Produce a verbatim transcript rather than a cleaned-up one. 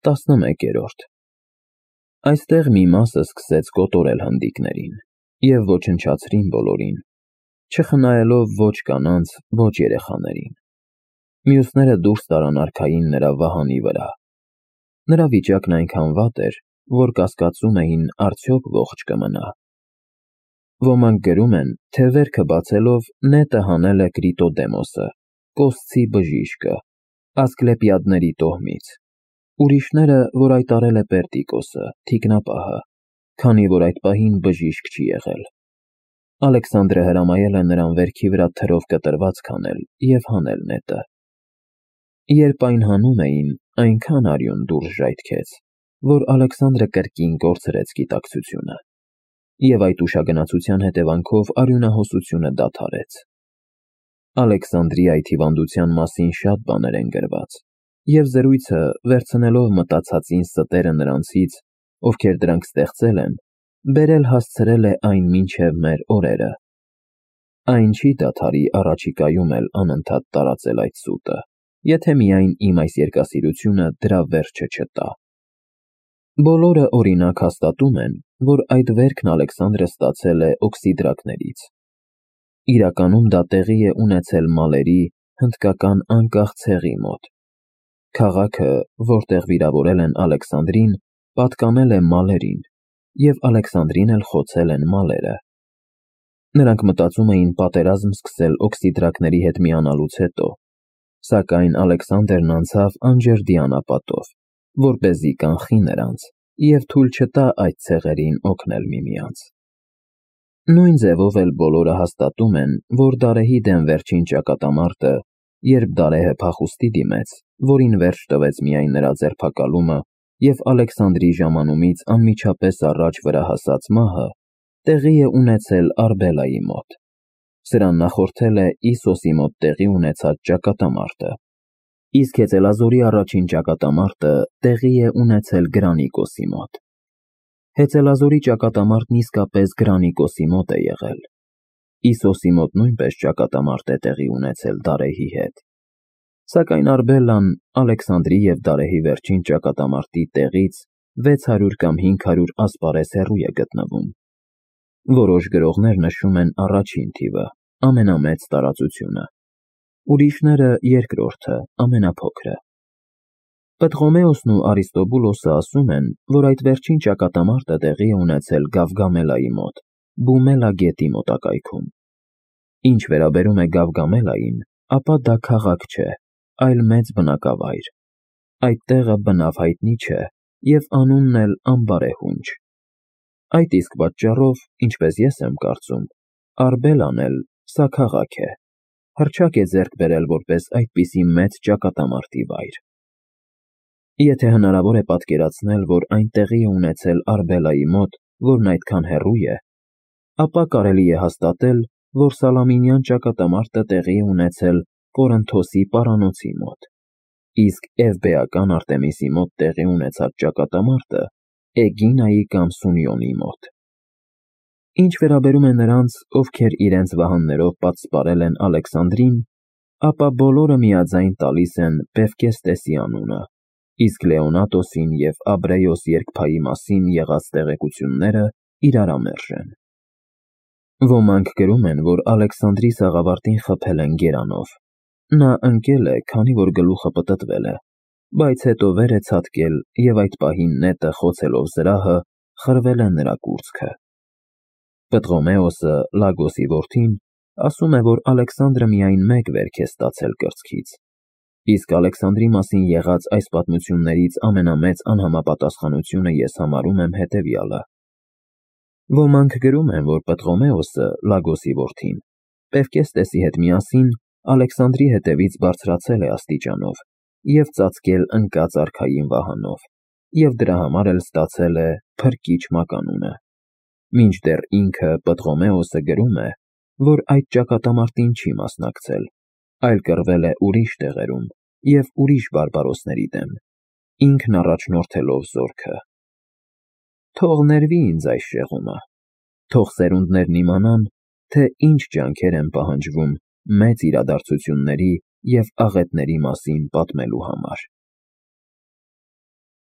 տասնմեկերորդ Այստեղ մի մասը սկսեց կոտորել հնդիկներին և ոչնչացրին բոլորին, չխնայելով ոչ կանանց, ոչ երեխաներին։ Մյուսները դուրս տարան արքային նրա վահանի վրա։ Նրա վիճակն այնքան վատ էր, որ կասկածում էին արդյոք ողջ կմնա։ Ոմանք գրում են, թե վերքը բացելով նետը հանել է Կրիտոդեմոսը, Կոսցի բժիշկը, Ասկլեպիադների տոհմից, ուրիշները, որ այդ արել է Պերտիկոսը, թիկնապահը, քանի որ այդ պահին բժիշկ չի եղել։ Ալեքսանդրը հրամայել է նրան վերքի վրա թրով կտրված քանել և հանել նետը։ Երբ այն հանում էին, այնքան արյուն դուրս ժայթքեց, որ Ալեքսանդրը կրկին կորցրեց գիտակցությունը, և այդ ուշագնացության հետևանքով արյունահոսությունը դադարեց։ Ալեքսանդրի այդ հիվանդության մասին շատ բաներ են գրված, և զրույցը, վերցնելով մտածածին ստերը նրանցից, ովքեր դրանք ստեղծել են, բերել հասցրել է այն մինչև մեր օրերը։ Այն չի դադարի առաջիկայում էլ անընդհատ տարածել այդ սուտը, եթե միայն իմ այս երկասիրությունը դրա վերջը չտա։ Բոլորը օրինակ հաստատում են, որ այդ վերքն Ալեքսանդրը ստացել է օքսիդրակներից։ Իրականում դա տեղի է ունեցել Մալերի հնդկական անկախ ցեղի մոտ։ Քաղաքը, որտեղ վիրավորել են Ալեքսանդրին, պատկանել է Մալերին, և Ալեքսանդրին էլ խոցել են Մալերը։ Նրանք մտածում էին պատերազմ սկսել օքսիդրակների հետ միանալուց հետո, սակայն Ալեքսանդրն անցավ անջրդի անապատով, որպեսզի կանխի նրանց և թույլ չտա այդ ցեղերին օգնել միմյանց։ Նույն ձևով էլ բոլորը հաստատում են, որ Դարեհի դեմ վերջին ճակատամարտը, երբ Դարեհը փախուստի դիմեց, որին վերջ տվեց միայն նրա ձերբակալումը և Ալեքսանդրի ժամանումից անմիջապես առաջ վրա հասած մահը, տեղի է ունեցել Արբելայի մոտ։ Սրան նախորդել է Իսոսի մոտ տեղի ունեցած ճակատամարտը, իսկ Հեծելազորի առաջին ճակատամարտը տեղի է ունեցել Գրանիկոսի մոտ։ Հեծելազորի ճակատամարտն իսկապես Գրանիկոսի մոտ է եղել։ Իսոսի մոտ նույնպես ճակատամարտ է տեղի ունեցել Դարեհի հետ։ Սակայն Արբելան Ալեքսանդրի և Դարեհի վերջին ճակատամարտի տեղից վեց հարյուր կամ հինգ հարյուր ասպարեզ հեռու է գտնվում։ Որոշ գրողներ նշում են առաջին թիվը, ամենամեծ տարածությունը, ուրիշները երկրորդը, ամենափոքրը։ Պտղոմեոսն ու Արիստոբուլոսը ասում են, որ այդ վերջին ճակատամարտը տեղի է ունեցել Գավգամելայի մոտ, Բումելա գետի մոտակայքում։ Ինչ վերաբերում է Գավգամելային, ապա դա քաղաք չէ, այլ մեծ բնակավայր։ Այդ տեղը բնավ հայտնի չէ, և անունն էլ անբարեհունչ։ Այդ իսկ պատճառով, ինչպես ես եմ կարծում, Արբելան էլ սա քաղաք է, հռչակ է ձեռք բերել որպես այդպիսի մեծ ճակատամարտի վայր։ Եթե հնարավոր է պատկերացնել, որ այն տեղի է ունեցել Արբելայի մոտ, որն այդքան հեռու է, ապա կարելի է հաստատել, որ Սալամինյան ճակատամարտը տեղի է ունեցել Կորինթոսի պարանոցի մոտ, իսկ Էվբեական Արտեմիսի մոտ տեղի ունեցած ճակատամարտը Էգինայի կամ Սունյոնի մոտ։ Ինչ վերաբերում է նրանց, ովքեր իրենց վահաններով պատսպարել են Ալեքսանդրին, ապա բոլորը միաձայն տալիս են Պևկեստեսի անունը, իսկ Լեոնատոսին և Աբրեոս երկփայի մասին եղած տեղեկությունները իրարամերժ են։ Ոմանք գրում են, որ Ալեքսանդրի սաղավարտին խփել են գերանով։ Նա ընկել է, քանի որ գլուխը պտտվել է, բայց հետո վեր է ցատկել և այդ պահին նետը խոցելով զրահը խրվել է նրա կուրծքը։ Պտղոմեոսը, Լագոսի որդին, ասում է, որ Ալեքսանդրը միայն մեկ վերք է ստացել կրծքից, իսկ Ալեքսանդրի մասին եղած այս պատմություններից ամենամեծ անհամապատասխանությունը ես համարում եմ հետևյալը։ Ոմանք գրում են, որ Պտղոմեոսը, Լագոսի որդին, Պևկեստեսի հետ միասին Ալեքսանդրի հետևից բարձրացել է աստիճանով և ծածկել ընկած արքային վահանով, և դրա համար էլ ստացել է Փրկիչ մականունը, մինչդեռ ինքը Պտղոմեոսը գրում է, որ այդ ճակատամարտին չի մասնակցել, այլ կռվել է ուրիշ տեղերում և ուրիշ բարբարոսների դեմ, ինքն առաջնորդելով զորքը։ Թող ներվի ինձ այս շեղումը, թող սերունդներն իմանան, թե ինչ ջանքեր են պահանջվում մեծ իրադարձությունների և աղետների մասին պատմելու համար։